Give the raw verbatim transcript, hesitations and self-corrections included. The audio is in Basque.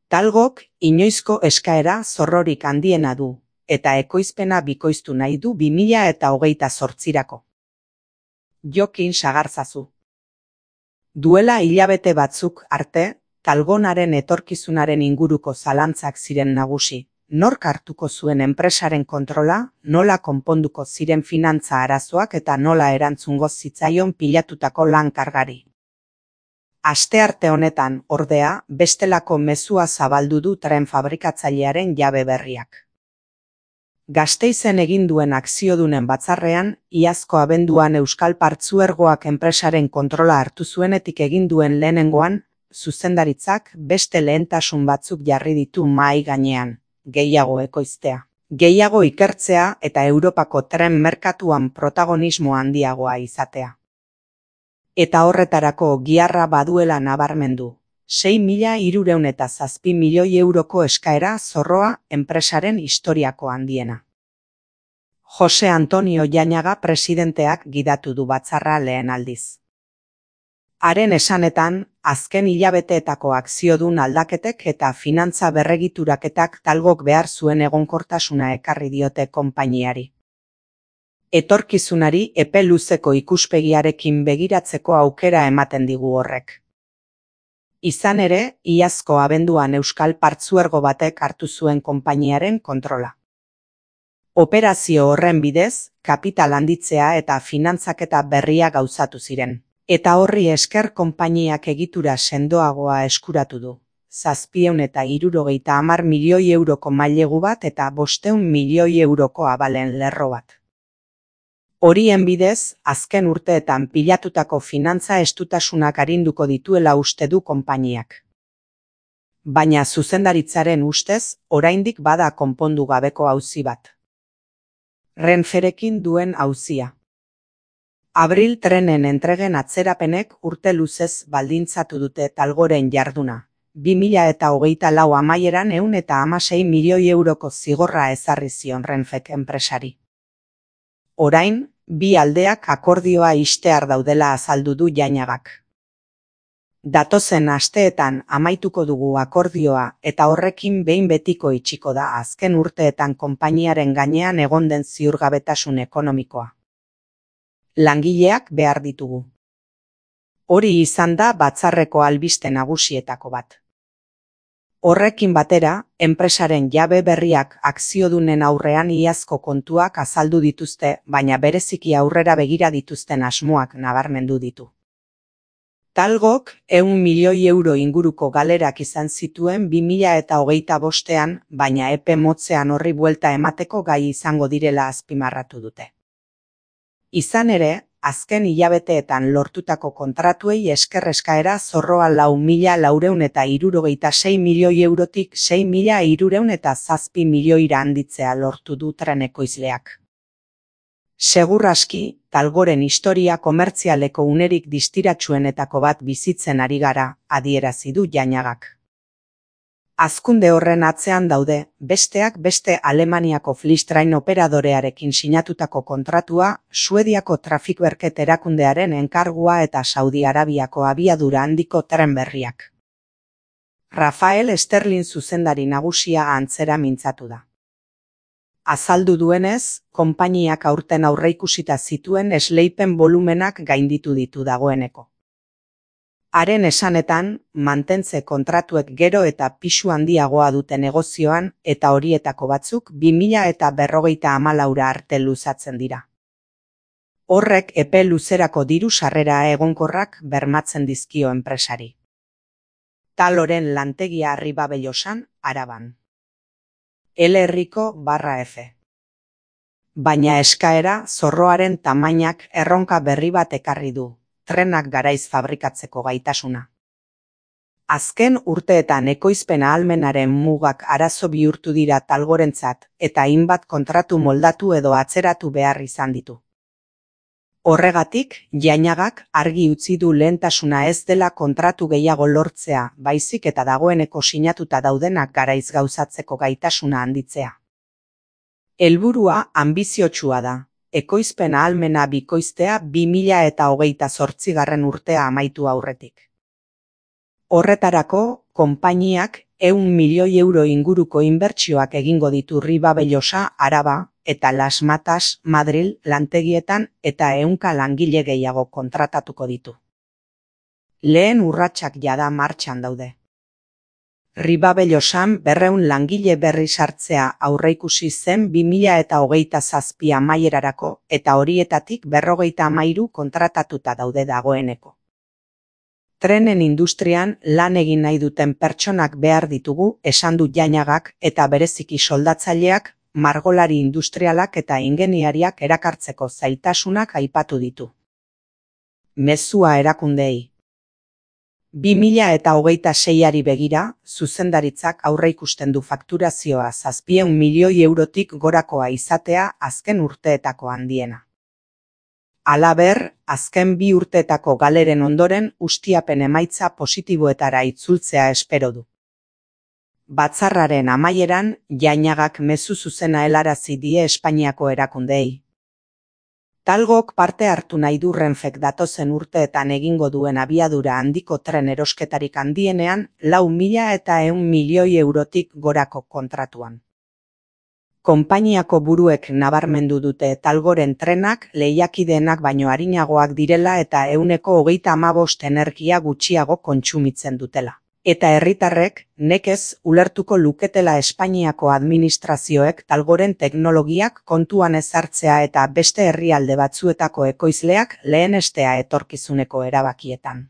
Talgok inoizko eskaera zorrorik handiena du, eta ekoizpena bikoiztu nahi du bi mila eta hogeita zortzirako. Jokin sagartzazu. Duela hilabete batzuk arte, Talgonaren etorkizunaren inguruko zalantzak ziren nagusi. Nork hartuko zuen enpresaren kontrola, nola konponduko ziren finantza arazoak eta nola erantzungo zitzaion pilatutako lan kargari. Astearte honetan, ordea, bestelako mezua zabaldu du tren fabrikatzailearen jabe berriak. Gasteizen egin duen akziodunen batzarrean, iazko abenduan Euskal Partzuergoak enpresaren kontrola hartu zuenetik egin duen lehenengoan, zuzendaritzak beste lehentasun batzuk jarri ditu mahai gainean. Gehiago ekoiztea, gehiago ikertzea eta Europako tren merkatuan protagonismo handiagoa izatea. Eta horretarako giharra baduela nabarmendu, sei mila hirurehun eta zazpi milioi euroko eskaera zorroa enpresaren historiako handiena. Jose Antonio Jainaga presidenteak gidatu du batzarra lehen aldiz. Haren esanetan, azken hilabeteetako akziodun aldaketek eta finantza berregituraketak Talgok behar zuen egonkortasuna ekarri diote konpainiari. Etorkizunari epe luzeko ikuspegiarekin begiratzeko aukera ematen digu horrek. Izan ere, iazko abenduan Euskal Partzuergo batek hartu zuen konpainiaren kontrola. Operazio horren bidez, kapital handitzea eta finantzaketa berria gauzatu ziren. Eta horri esker konpainiak egitura sendoagoa eskuratu du. Zazpiehun eta hirurogeita hamar milioi euroko mailegu bat eta bostehun milioi euroko abalen lerro bat. Horien bidez, azken urteetan pilatutako finantza estutasunak arinduko dituela uste du konpainiak. Baina zuzendaritzaren ustez, oraindik bada konpondu gabeko auzi bat. Renferekin duen auzia. Abril trenen entregen atzerapenek urte luzez baldintzatu dute Talgoren jarduna. bi mila eta hogeita lau amaieran ehun eta hamasei milioi euroko zigorra ezarri zion Renfek enpresari. Orain, bi aldeak akordioa ixtear daudela azaldu du Jainagak. Datozen asteetan amaituko dugu akordioa eta horrekin behin betiko itxiko da azken urteetan konpainiaren gainean egon den ziurgabetasun ekonomikoa. Langileak behar ditugu. Hori izan da batzarreko albiste nagusietako bat. Horrekin batera, enpresaren jabe berriak akziodunen aurrean iazko kontuak azaldu dituzte, baina bereziki aurrera begira dituzten asmoak nabarmendu ditu. Talgok ehun milioi euro inguruko galerak izan zituen bi mila eta hogeita bostean, baina epe motzean horri buelta emateko gai izango direla azpimarratu dute. Izan ere, azken hilabeteetan lortutako kontratuei esker eskaera zorroa lau mila laurehun eta hirurogeita sei milioi eurotik sei mila hirurehun eta zazpi milioira handitzea lortu du tren ekoizleak. Segur aski, Talgoren historia komertzialeko unerik distiratsuenetako bat bizitzen ari gara, adierazi du Jainagak. Hazkunde horren atzean daude, besteak beste Alemaniako Flixtrain operadorearekin sinatutako kontratua, Suediako trafikberket erakundearen enkargua eta Saudi Arabiako abiadura handiko tren berriak. Rafael Sterling zuzendari nagusia antzera mintzatu da. Azaldu duenez, konpainiak aurten aurreikusita zituen esleipen volumenak gainditu ditu dagoeneko. Haren esanetan, mantentze kontratuek gero eta pisu handiagoa dute negozioan eta horietako batzuk bi mila eta berrogeita hamalaura arte luzatzen dira. Horrek epe luzerako diru sarrera egonkorrak bermatzen dizkio enpresari. Taloren lantegia Arribabellosan, Araban. L-herriko barra F. Baina eskaera zorroaren tamainak erronka berri bat ekarri du. Trenak garaiz fabrikatzeko gaitasuna. Azken urteetan ekoizpen ahalmenaren mugak arazo bihurtu dira Talgorentzat eta hainbat kontratu moldatu edo atzeratu behar izan ditu. Horregatik, Jainagak argi utzi du lehentasuna ez dela kontratu gehiago lortzea, baizik eta dagoeneko sinatuta daudenak garaiz gauzatzeko gaitasuna handitzea. Helburua anbiziotsua da. Ekoizpen ahalmena bikoiztea bi mila eta hogeita zortzigarren urtea amaitu aurretik. Horretarako, konpainiak ehun milioi euro inguruko inbertsioak egingo ditu Ribabellosa, Araba, eta Las Matas, Madril, lantegietan eta ehunka langile gehiago kontratatuko ditu. Lehen urratsak jada martxan daude. Ribabellosan berrehun langile berri sartzea aurreikusi zen bi mila eta hogeita zazpi amaierarako eta horietatik berrogeita hamairu kontratatuta daude dagoeneko. Trenen industrian lan egin nahi duten pertsonak behar ditugu, esan du Jañagak, eta bereziki soldatzaileak, margolari industrialak eta ingeniariak erakartzeko zailtasunak aipatu ditu. Mezua erakundeei. bi mila eta hogeita seiari begira, zuzendaritzak aurreikusten du fakturazioa zazpiehun milioi eurotik gorakoa izatea azken urteetako handiena. Halaber, azken bi urteetako galeren ondoren ustiapen emaitza positiboetara itzultzea espero du. Batzarraren amaieran, Jañagak mezu zuzena helarazi die Espainiako erakundeei. Talgok parte hartu nahi du Renfek datozen urteetan egingo duen abiadura handiko tren erosketarik handienean lau mila eta ehun milioi eurotik gorako kontratuan. Konpainiako buruek nabarmendu dute Talgoren trenak lehiakideenak baino arinagoak direla eta ehuneko hogeita hamabost energia gutxiago kontsumitzen dutela. Eta herritarrek nekez ulertuko luketela Espainiako administrazioek Talgoren teknologiak kontuan ezartzea eta beste herrialde batzuetako ekoizleak lehenestea etorkizuneko erabakietan.